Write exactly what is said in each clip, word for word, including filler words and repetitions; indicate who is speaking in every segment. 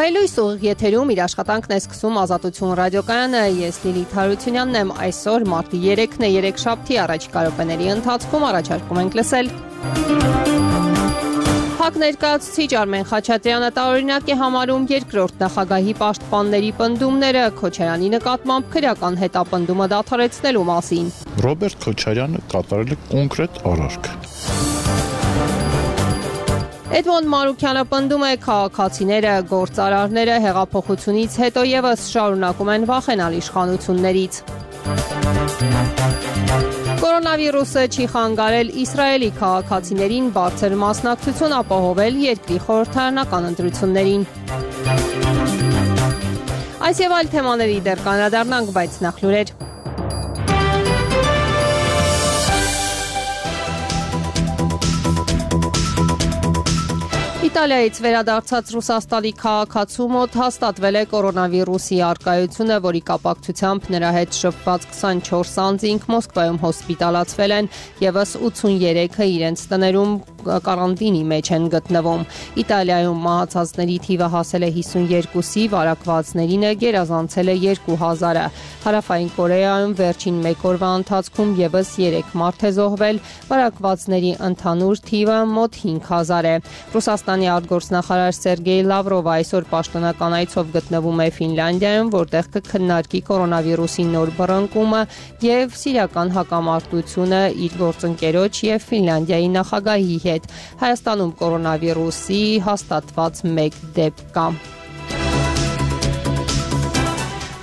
Speaker 1: Հայլույս ուղիղ եթերում իր աշխատանքն է սկսում Ազատություն ռադիոկայանը, ես Լիլիթ Հարությունյանն եմ, այսօր մարտի երեքն է, երեքշաբթի առաջիկա րոպեների ընթացքում առաջարկում ենք լսել։ ՀԱԿ ներկայացուցիչ Արմեն Խաչատրյանը տարօրինակ է համարում երկրորդ նախագահի պաշտպանների պնդումները Քոչարյանի նկատմամբ քրեական հետապնդումը դադարեցնելու մասին։
Speaker 2: Ռոբերտ Քոչարյանը կատարել է կոնկրետ արարք։
Speaker 1: Էդմոնդ Մանուկյանը պնդում է քաղաքացիները, գործարարները հեղափոխությունից հետո ևս շարունակում են վախենալ իշխանություններից։ Կորոնավիրուսը չի խանգարել Իսրայելի քաղաքացիներին բարձր մասնակցություն ապահովել երկրի խորհրդարանական ընտրություններին։ Այս եւ այլ թեմաների դեռ կանրադառնանք, բայց նախ լուրեր։ Իտալիայից վերադարձած Ռուսաստանի քաղաքացու մոտ հաստատվել է կորոնավիրուսի առկայությունը, որի կապակցությամբ նրա հետ շփված քսանչորս անձինք Մոսկվայում հոսպիտալացվել են, ևս ութսուներեքը իրենց տներում կարանտինի մեջ են գտնվում։ Իտալիայում մահացածների թիվը հասել է հիսունյոթի, վարակվածներինը գերազանցել է երկու հազարը։ Հարավային Կորեայում վերջին մեկ օրվա ընթացքում ևս երեք մարդ է զոհվել, վարակվածների ընդհանուր թիվը մոտ հինգ հազար է։ Ռուսաստանի արտգործնախարար Սերգեյ Լավրովը այսօր պաշտոնական այցով գտնվում է Ֆինլանդիայում, որտեղ կքննարկի կորոնավիրուսի նոր բռնկումը եւ սիրիական հակամարտությունը իր գործընկերոջ եւ Ֆինլանդիայի նախագահի հետ։ Հայաստանում կորոնավիրուսի հաստատված մեկ դեպք կա։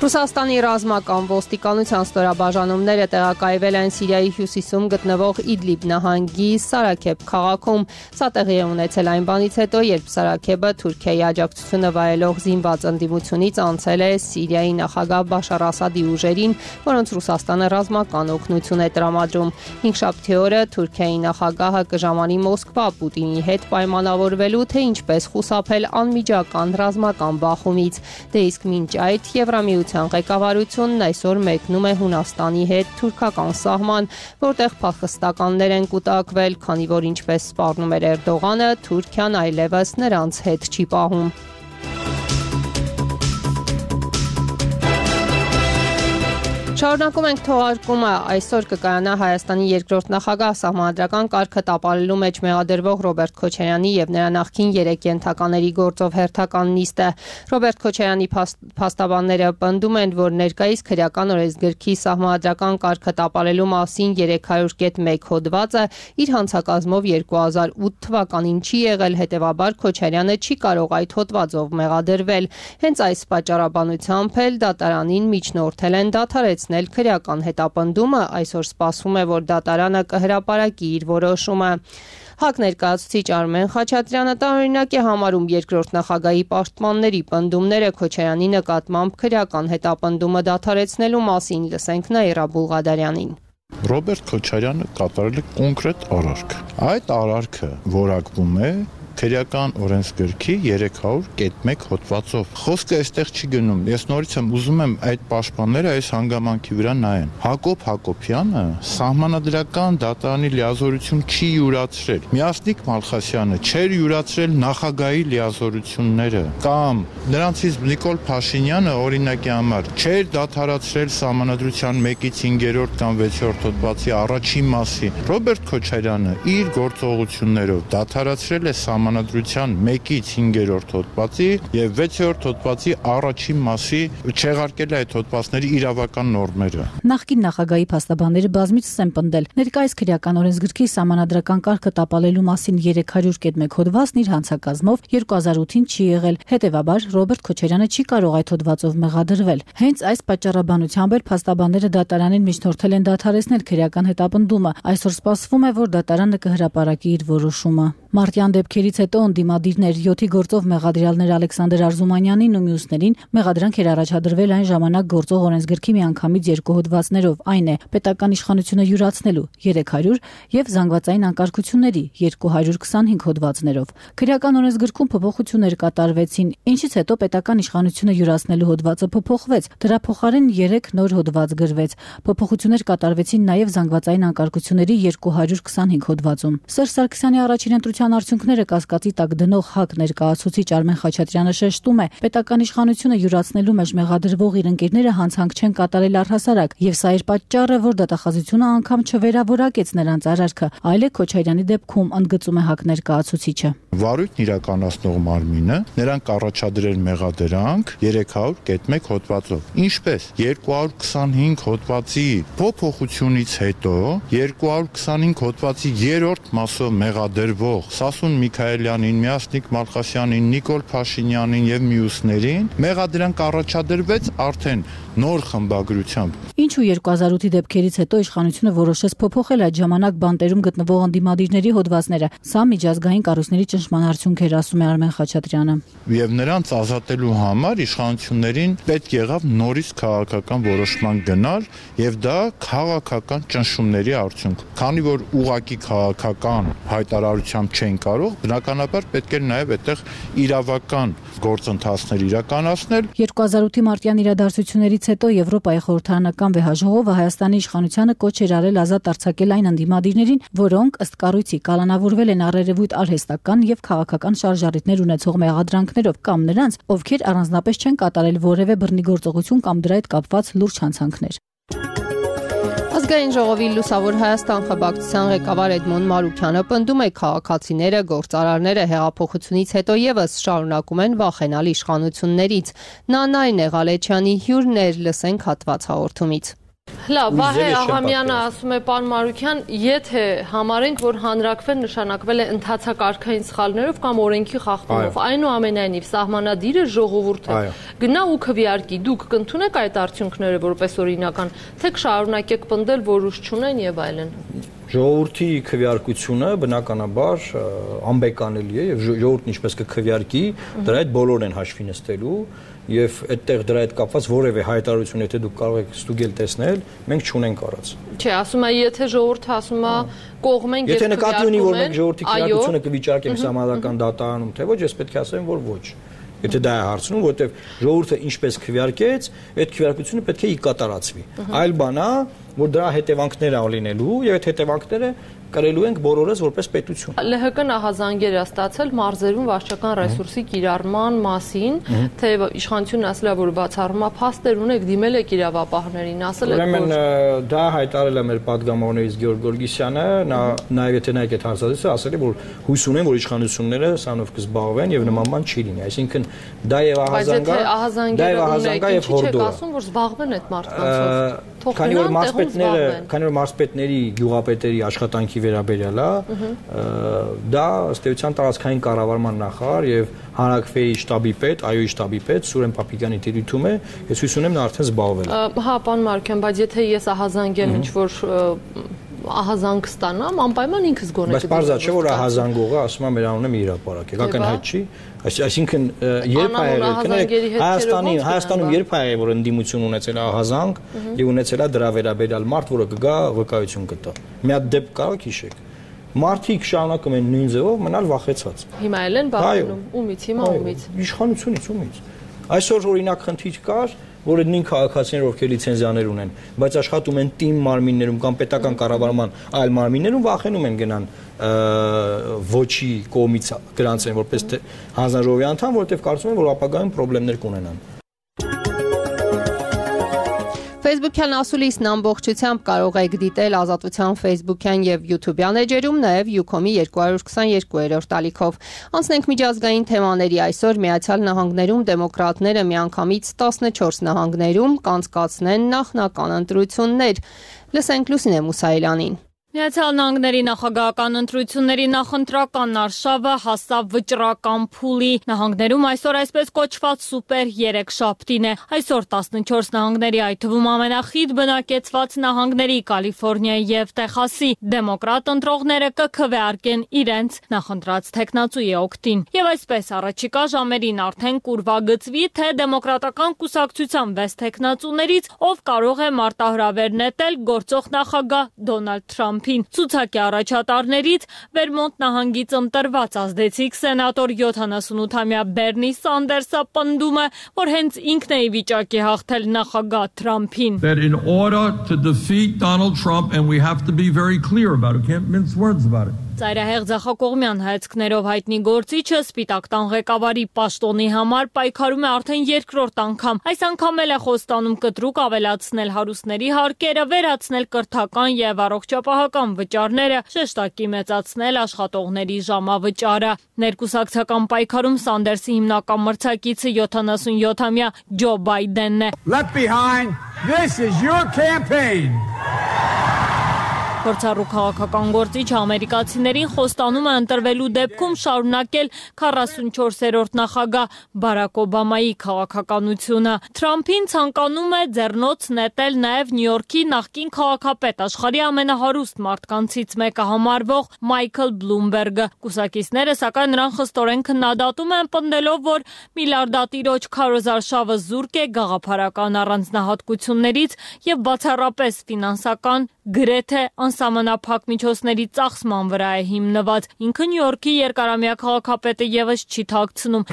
Speaker 1: Ռուսաստանի ռազմական ոստիկանության ստորաբաժանումները տեղակայվել են Սիրիայի հյուսիսում գտնվող Իդլիբ նահանգի Սարաքեբ քաղաքում։ Սա տեղի է ունեցել այն բանից հետո, երբ Սարաքեբը Թուրքիայի աջակցությունը վայելող զինված ընդդիմությունից անցել է Սիրիայի նախագահ Բաշար Ասադի ուժերին, որոնց Ռուսաստանը ռազմական օգնություն է տրամադրում։ Հինգշաբթի օրը Թուրքիայի նախագահը կժամանի Մոսկվա Պուտինի հետ պայմանավորվելու, թե ինչպես խուսափել անմիջական ռազմական բախումից։ Դե իսկ մինչ այդ Եվրամիության ղեկավարությունն այսօր մեկնում է Հունաստանի հետ թուրքական սահման, որտեղ փախստականներ են կուտակվել, քանի որ ինչպես սպառնում էր Էրդողանը, Թուրքիան այլևս նրանց հետ չի պահում։ Շարունակում ենք թողարկումը, այսօր կկայանա Հայաստանի երկրորդ նախագահ սահմանադրական կարգը տապալելու մեջ մեղադրվող Ռոբերտ Քոչարյանի եւ նրա նախկին երեք ենթակաների գործով հերթական նիստը։ Ռոբերտ Քոչարյանի փաստաբանները պնդում են, որ ներկայիս քրեական օրենսգրքի սահմանադրական կարգը տապալելու մասին երեք հարյուր կետ մեկ հոդվածը իր հանցակազմով երկու հազար ութ թվականին չի եղել, հետևաբար Քոչարյանը չի կարող այդ հոդվածով մեղադրվել։ Հենց այս պատճառաբանությամբ էլ դատարանին միջնորդել են դադարեցնել քրեական հետապնդումը, այսօր սպասվում է, որ դատարանը կհրապարակի իր որոշումը։ ՀԱԿ ներկայացուցիչ Արմեն Խաչատրյանը տարօրինակ է համարում երկրորդ նախագահի պաշտպանների պնդումները Քոչարյանի նկատմամբ քրեական հետապնդումը դադարեցնելու մասին, լսենք Նաիրա Բուլղադարյանին։
Speaker 2: Ռոբերտ Քոչարյանը կատարել է կոնկրետ արարք։ Այդ արարքը որակվում է քրեական օրենսգրքի երեք հարյուր կետ մեկ հոդվածով։ Խոսքը այստեղ չի գնում։ Ես նորից եմ ուզում եմ այդ պաշտպանները այս հանգամանքի վրա նայեն։ Հակոբ Հակոբյանը սահմանադրական դատարանի լիազորություն չի յուրացրել։ Միասնիկ Մալխասյանը չէր յուրացրել նախագահի լիազորությունները, կամ նրանցից Նիկոլ Փաշինյանը օրինակի համար չէր դադարացրել սահմանադրության մեկից հինգերորդ կամ վեցերորդ հոդվածի առաջին մասի։ Ռոբերտ Քոչարյանը իր գործողություններով դադարացրել է Սահմանադրության մեկից հինգերորդ հոդվածի եւ վեցերորդ հոդվածի առաջին մասի, չեղարկել է այդ հոդվածների իրավական նորմերը։
Speaker 3: Նախկին նախագահի փաստաբանները բազմիցս են պնդել, ներկայիս քրեական օրենսգրքի սահմանադրական կարգը տապալելու մասին երեք հարյուր կետ մեկ հոդվածն իր հանցակազմով երկու հազար ութին չի եղել, հետևաբար Ռոբերտ Քոչարյանը չի կարող այդ հոդվածով մեղադրվել։ Հենց այս պատճառաբանությամբ էլ փաստաբանները դատարանին միջնորդել են դադարեցնել քրեական հետապնդումը։ Այսօր սպասվում է, որ դատարանը կհրապարակի իր որոշումը։ Մարտյան դեպքերից հետո ընդդիմադիրներ յոթի գործով մեղադրյալներ Ալեքսանդր Արզումանյանին ու մյուսներին մեղադրանք էր առաջադրվել այն ժամանակ գործող օրենսգրքի միանգամից երկու հոդվածներով, այն է պետական իշխանությունը յուրացնելու երեք հարյուր եւ զանգվածային անկարգությունների երկու հարյուր քսանհինգ հոդվածներով։ Քրեական օրենսգրքում փոփոխություններ կատարվեցին, ինչից հետո պետական իշխանությունը յուրացնելու հոդվածը փոփոխվեց, դրա փոխարեն երեք նոր հոդված գրվեց։ Փոփոխություններ կատարվեցին նաեւ զանգվածային անկարգությունների երկու հարյուր քսանհինգ հոդվածում։ Սերժ Սարգսյանի առաջին ընտրության արդյունքները կասկածի տակ դնող ՀԱԿ ներկայացուցիչ Արմեն Խաչատրյանը շեշտում է, պետական իշխանությունը յուրացնելու մեջ մեղադրվող իր ընկերները հանցանք չեն կատարել առհասարակ, եւ սա էր պատճառը, որ դատախազությունը անգամ չվերավորակեց նրանց արարքը, այլ է Քոչարյանի դեպքում, ընդգծում է ՀԱԿ ներկայացուցիչը։
Speaker 2: Վարույթն իրականացնող մարմինը նրանք առաջադրել մեղադրանք երեք հարյուր կետ մեկ հոդվածով։ Ինչպես երկու հարյուր քսանհինգ հոդվածի փոփոխությունից հետո երկու հարյուր քսանհինգ հոդվածի երրորդ մասով մեղադրվող Սասուն Միքայելյանին, Միասնիկ Մալխասյանին, Նիկոլ Փաշինյանին եւ մյուսներին մեղադրանք առաջադրվեց արդեն նոր խմբագրությամբ։
Speaker 3: Ինչու երկու հազար ութի դեպքերից հետո իշխանությունը որոշեց փոփոխել այդ ժամանակ բանտերում գտնվող ընդդիմադիրների հոդվածները։ Սա միջազգային կառույցների ճնշման արդյունք էր, ասում է Արմեն Խաչատրյանը։
Speaker 2: Եվ նրանց ազատելու համար իշխանություններին պետք եղավ նորից քաղաքական որոշման գնալ, եւ դա քաղաքական ճնշումների արդյունք։ Քանի որ ուղակի քաղաքական հայտարարությամբ չեն կարող, բնականաբար պետք է նաեւ այդտեղ իրավական գործընթացներ իրականացնել։
Speaker 3: երկու հազար ութի մարտյան իրադարձություններից հետո Եվրոպայի խորհրդարանական վեհաժողովը Հայաստանի իշխանությանը կոչ էր արել ազատ արձակել այն ընդդիմադիրներին, որոնք ըստ կառույցի կալանավորվել են առերևույթ արհեստական եւ քաղաքական շարժառիթներ ունեցող մեղադրանքներով կամ նրանց, ովքեր առանձնապես չեն կատարել որևէ բռնի գործողություն կամ դրա հետ կապված լուրջ հանցանքներ։
Speaker 1: Ազգային ժողովի Լուսավոր Հայաստան խմբակցության ղեկավար Էդմոն Մարուքյանը պնդում է, քաղաքացիները, գործարարները հեղափոխությունից հետո եւս շարունակում են վախենալ իշխանություններից։ Նա Նարինե Ղալեչյանի հյուրն էր, լսենք հատված հաղորդումից։
Speaker 4: Լավ, Վահե Աղամյանը ասում է, պարոն Մարուքյան, եթե համարենք, որ հանրակրվեն նշանակվել է ընթացակարգային սխալներով կամ օրենքի խախտումով, այնուամենայնիվ սահմանադիրը ժողովուրդը գնա ու քվեարկի, դուք կընդունեք այդ արդյունքները որպես օրինական, թե կշարունակեք պնդել, որ ուժ չունեն եւ այլն։
Speaker 5: Ժողովրդի քվեարկությունը բնականաբար անբեկանելի է եւ ժողովուրդն ինչպես կքվեարկի, դրա հետ բոլորն են հաշվի նստելու եւ այդտեղ դրա հետ կապված որևէ հայտարարություն եթե դուք կարող եք ստուգել տեսնել, մենք չունենք առած։
Speaker 4: Չէ, ասում է, եթե ժողովուրդը ասում է կողմ ենք եւ
Speaker 5: եթե նկատի ունի, որ մենք ժողովրդի քվեարկությունը կվիճարկենք համազգական դատարանում, թե ոչ, ես պետք է ասեմ, որ ոչ։ Եթե դա է հարցնում, որտեվ ժողովուրդը ինչպես քվեարկեց, այդ քվեարկությունը պետք է կատարածվի։ Այլ բան է, որ դրա հետևանքներ ա լինելու եւ այդ հետևանքները կրելու ենք բոլորս որպես պետություն։
Speaker 4: ԼՀԿ-ն ահազանգեր է ստացել մարզերում վարչական ռեսուրսի կիրառման մասին, թե իշխանությունն ասել է, որ բացառում է փաստեր ունեք, դիմել եք իրավապահներին, ասել եք,
Speaker 5: որ Ուրեմն դա հայտարարել է մեր падգամավորներից Գեորգ Գորգիսյանը, նա նաեւ եթե նայեք այդ հարցազրույցը, ասել է, որ հույս ունեն, որ իշխանությունները սանով կզբաղվեն եւ նման բան չի լինի, այսինքն դա եւ ահազանգա, դա եւ ահազանգա եւ հորդոր։
Speaker 4: Ասում որ զբաղվեն այդ մարդկանցով։
Speaker 5: Քանի որ մարզպետները, քանի որ մարզպետների, գյուղապետերի աշխատանքի վերաբերյալ է, դա ըստ էության տարածքային կառավարման նախարար եւ հանրակրվեի շտաբի պետ, այոյի շտաբի պետ Սուրեն Պապիկյանի տիրույթում է, ես հույս ունեմ նա արդեն զբաղվել է։
Speaker 4: Հա, պարոն Մարուքյան, բայց եթե ես ահազանգեմ ինչ-որ ահազանգ ստանամ, անպայման ինքս գոնե։
Speaker 5: Բայց բարձա չէ որ ահազանգողը ասում է մեր անունը մի հրապարակ է, ակնհայտ չի, այսինքն երբ է եղել, Հայաստանի, Հայաստանում երբ է եղել որ ընդդիմություն ունեցել է ահազանգ եւ ունեցել է դրա վերաբերյալ մարդ, որը կգա վկայություն կտա։ Մի հատ դեպք կարող հիշեք։ Մարդիկ շարունակում են նույն ձևով մնալ վախեցած։
Speaker 4: Հիմա էլ են բախվում, ումից, հիմա ումից։
Speaker 5: Իշխանությունից ումից։ Այսօր օրինակ խնդիր կար, որ նույն քաղաքացիներ ովքեր լիցենզիաներ ունեն, բայց աշխատում են թիմ մարմիններում կամ պետական կառավարման այլ մարմիններում վախենում են գնան ոչի կողմից գրանցեն որպես հանձնաժողովի անդամ, որովհետև կարծում են, որ ապագայում խնդիրներ կունենան։
Speaker 1: Facebook-յան ասուլիսն ամբողջությամբ կարող եք դիտել Ազատության Facebook-յան եւ YouTube-յան էջերում, նաեւ Ucom-ի երկու հարյուր քսաներկու-րդ ալիքով։ Անցնենք միջազգային թեմաների, այսօր Միացյալ Նահանգներում դեմոկրատները միանգամից տասնչորս նահանգներում կանցկացնեն նախնական ընտրություններ։ Լսենք Լուսինե Մուսայելյանին։
Speaker 6: Միացյալ Նահանգների նախագահական ընտրությունների նախընտրական արշավը հասավ վճռական փուլի։ Նահանգներում այսօր այսպես կոչված սուպեր երեքշաբթին է։ Այսօր տասնչորս նահանգների, այդ թվում ամենախիտ բնակեցված նահանգների Կալիֆոռնիայի եւ Տեխասի դեմոկրատ ընտրողները կքվեարկեն իրենց նախընտրած թեկնածուի օգտին։ Եվ այսպես առաջիկա ժամերին արդեն կուրվագծվի, թե դեմոկրատական կուսակցության վեց թեկնածուներից ով կարող է մարտահրավեր նետել գործող նախագահ Դոնալդ Թրամփ Ցուցակի առաջատարներից Վերմոնտ նահանգից ընտրված ազդեցիկ սենատոր յոթանասունութամյա Բերնի Սանդերսը պնդում է, որ հենց ինքն է ի վիճակի հաղթել նախագահ Թրամփին։
Speaker 7: That in order to defeat Donald Trump, and we have to be very clear about it, can't mince words about it.
Speaker 6: Ծայրահեղ ձախակողմյան հայացքներով հայտնի գործիչը Սպիտակ տան ղեկավարի պաշտոնի համար պայքարում է արդեն երկրորդ անգամ։ Այս անգամ էլ է խոստանում կտրուկ ավելացնել հարուստների հարկերը, վերացնել կրթական եւ առողջապահական վճարները, շեշտակի մեծացնել աշխատողների ժամավճարը։ Ներկուսակցական պայքարում Սանդերսի հիմնական մրցակիցը յոթանասունյոթամյա Ջո Բայդենն է։
Speaker 7: Left behind, this is your campaign.
Speaker 6: Փորձառու քաղաքական գործիչը ամերիկացիներին խոստանում է ընտրվելու դեպքում շարունակել քառասունչորսերորդ նախագահ Բարակ Օբամայի քաղաքականությունը։ Թրամփին ցանկանում է ձեռնոց նետել նաև Նյու Յորքի նախկին քաղաքապետ, աշխարհի ամենահարուստ մարդկանցից մեկը համարվող Մայքլ Բլումբերգը։ Կուսակիցները սակայն նրան խստորեն քննադատում են, պնդելով, որ միլիարդատիրոջ քարոզարշավը զուրկ է գաղափարական առանձնահատկություններից եւ բացառապես ֆինանսական, գրեթե անսահմանափակ միջոցների ծախսման վրա է հիմնված։ Ինքը Նյու Յորքի երկարամյա քաղաքապետը եւս չի թաքցնում։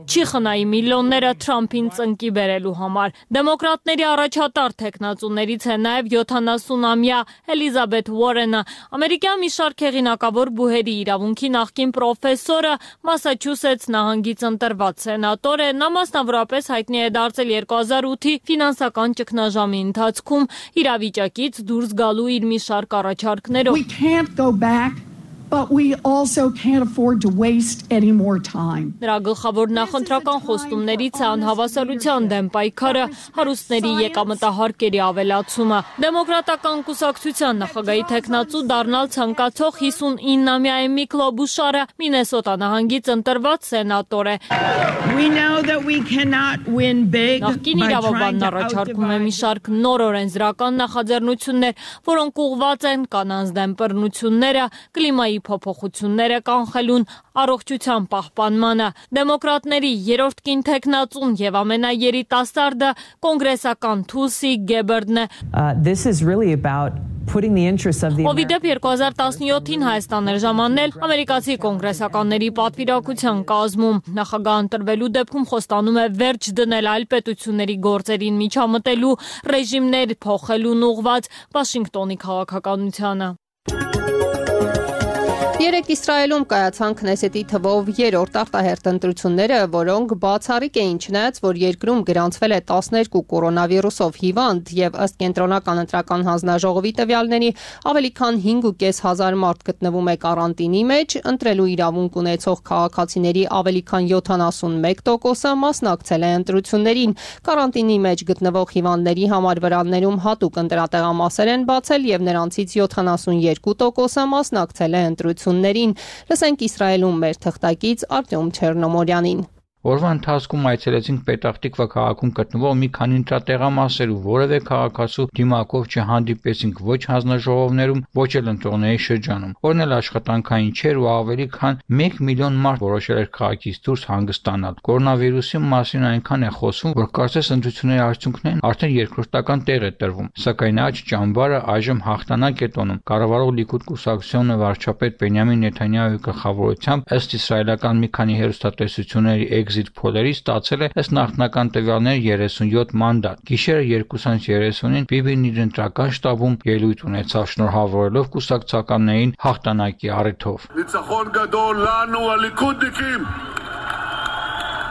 Speaker 6: Չի խնայի միլիոնները Թրամփին ծնկի բերելու համար։ Դեմոկրատների առաջատար թեկնածուներից է նաեւ յոթանասունամյա Էլիզաբեթ Ուորենը, ամերիկյան մի շարք հեղինակավոր բուհերի իրավունքի նախկին պրոֆեսորը, Մասաչուսեթս նահանգից ընտրված սենատոր է։ Նա մասնավորապես հայտնի է դարձել երկու հազար ութի ֆինանսական ճգնաժամի ընթացքում իրավիճակից դուրս գալու իր մի շարք առաջարկներով։
Speaker 8: We can't go back, but we also can't afford to waste any more time.
Speaker 6: Նրա գլխավոր նախընտրական խոստումներից է անհավասարության դեմ պայքարը, հարուստների եկամտահարկերի ավելացումը։ Դեմոկրատական կուսակցության նախագահի թեկնածու դառնալ ցանկացող հիսունինամյա Էմի Քլոբուշարը Մինեսոտա նահանգից ընտրված սենատոր է։
Speaker 8: We know that we cannot win big.
Speaker 6: Նախկին իրավաբանն առաջարկում է մի շարք նոր օրենսդրական նախաձեռնություններ, որոնք ուղղված են կանանց դեմ բռնությունները, կլիմայի փոփոխությունները կանխելուն, առողջության պահպանմանը։ Դեմոկրատների երրորդ կին թեկնածուն եւ ամենաերիտասարդը կոնգրեսական Թուլսի Գեբերդն է։
Speaker 9: This is really about putting the interests of the
Speaker 6: Օվիդեպ երկու հազար տասնյոթին Հայաստան էր ժամանել ամերիկացի կոնգրեսականների պատվիրակության կազմում։ Նախագահ ընտրվելու դեպքում խոստանում է վերջ դնել այլ պետությունների գործերին միջամտելու, ռեժիմներ փոխելուն ուղղված Վաշինգտոնի քաղաքականությանը։
Speaker 1: Երեկ Իսրայելում կայացան Քնեսետի թվով երրորդ արտահերթ ընտրությունները, որոնք բացառիկ էին, չնայած որ երկրում գրանցվել է տասներկու կորոնավիրուսով հիվանդ եւ ըստ կենտրոնական ընտրական հանձնաժողովի տվյալների ավելի քան հինգ ու կես հազար մարդ գտնվում է կարանտինի մեջ, ընտրելու իրավունք ունեցող քաղաքացիների ավելի քան յոթանասունմեկ տոկոսը մասնակցել է ընտրություններին։ Կարանտինի մեջ գտնվող հիվանդների համար վրաններում հատուկ ընտրատեղամասեր են բացել եւ նրանցից յոթանասունյոթ տոկոսը մասնակցել է ընտրություններին։ Լսենք Իսրայելում մեր թղթակից Արտյոմ Չեռնոմորյանին։
Speaker 10: Օրվա ընթացքում այցելեցինք Պետախտիկվա քաղաքում գտնվող մի քանի ընտրատեղամասեր ու որևէ քաղաքացու դիմակով չհանդիպեցինք ոչ հանձնաժողովներում, ոչ էլ ընտրողների շրջանում։ Օրն էլ աշխատանքային չէր ու ավելի քան մեկ միլիոն մարդ որոշել էր քաղաքից դուրս հանգստանալ։ Կորոնավիրուսի մասին այնքան է խոսվում, որ կարծես ընտրությունների արդյունքներն արդեն երկրորդական տեղ է տրվում։ Սակայն աջ ճամբարը այժմ հաղթանակ է տոնում։ Կառավարող Լիկուդ կուսակցությունը վարչապետ Բենյամին Նեթանյահուի գլխավորությամբ ըստ իսրայելական մի քանի հեռուստատեսությունների Exit Poll-երի ստացել է ըստ նախնական տվյալների երեսունյոթ մանդատ։ Գիշերը երկուսից երեսունին Բիբին իր ընտրական շտաբում ելույթ ունեցավ շնորհավորելով կուսակցականներին հաղթանակի առիթով։
Speaker 11: ניצחון גדול לנו הליכודניקים.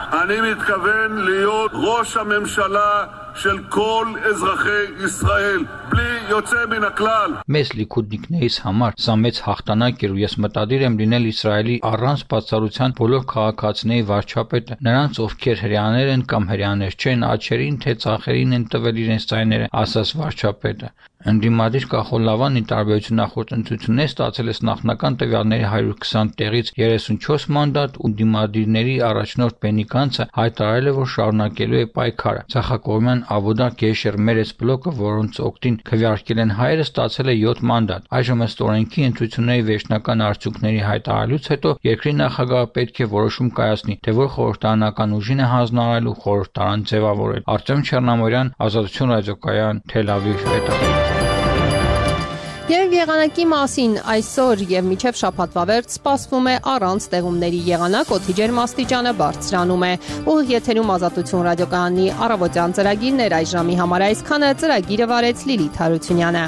Speaker 11: אני מתכוון להיות ראש הממשלה של כל אזרחי ישראל, בלי יוצא מן הכלל.
Speaker 10: Մեզ լիքուդնիկներից համար սա մեծ հաղթանակ էր ու ես մտադիր եմ լինել Իսրայելի առանց բացառության բոլոր քաղաքացիների վարչապետը, նրանց ովքեր հрьяաներ են կամ հрьяաներ չեն, աչերին թե ծախերին են տվել իրենց ձայները, ասաց վարչապետը։ Ընդդիմադիր Կախոլլավանի տարբերություն նախորդ ընտրություններից ստացել է նախնական տվյալների հարյուր քսան տեղից երեսունչորս մանդատ ու դիմադիրների առաջնորդ Բենի Գանցը հայտարարել է, որ շարունակելու է պայքարը։ Ցախակողմյան Աբոդա Գեշեր Մերես բլոկը, որոնց օգտին քվեարկել են հայերը, ստացել է յոթ մանդատ։ Այժմ ըստ օրենքի ընտրությունների վերջնական արդյունքների հայտարարելուց հետո երկրի նախագահը պետք է որոշում կայացնի, թե որ խորհրդարանական ուժին է հանձնարարել ու խորհրդարան ձևավորել։ Արտյոմ Չեռնամորյան, Ազատություն ռադիոկայան, Թել Ավիվ, Պետախտիկ։
Speaker 1: Երբ եղանակի մասին այսօր եւ մինչեւ շաբաթվա վերջ սպասվում է առանց ստեղումների եղանակ, օդի ջերմաստիճանը բարձրանում է։ Ուղիղ եթերում Ազատություն ռադիոկայանի առավոտյան ծրագիրն էր, այս ժամի համար այսքանը, ծրագիրը վարեց Լիլիթ Հարությունյանը։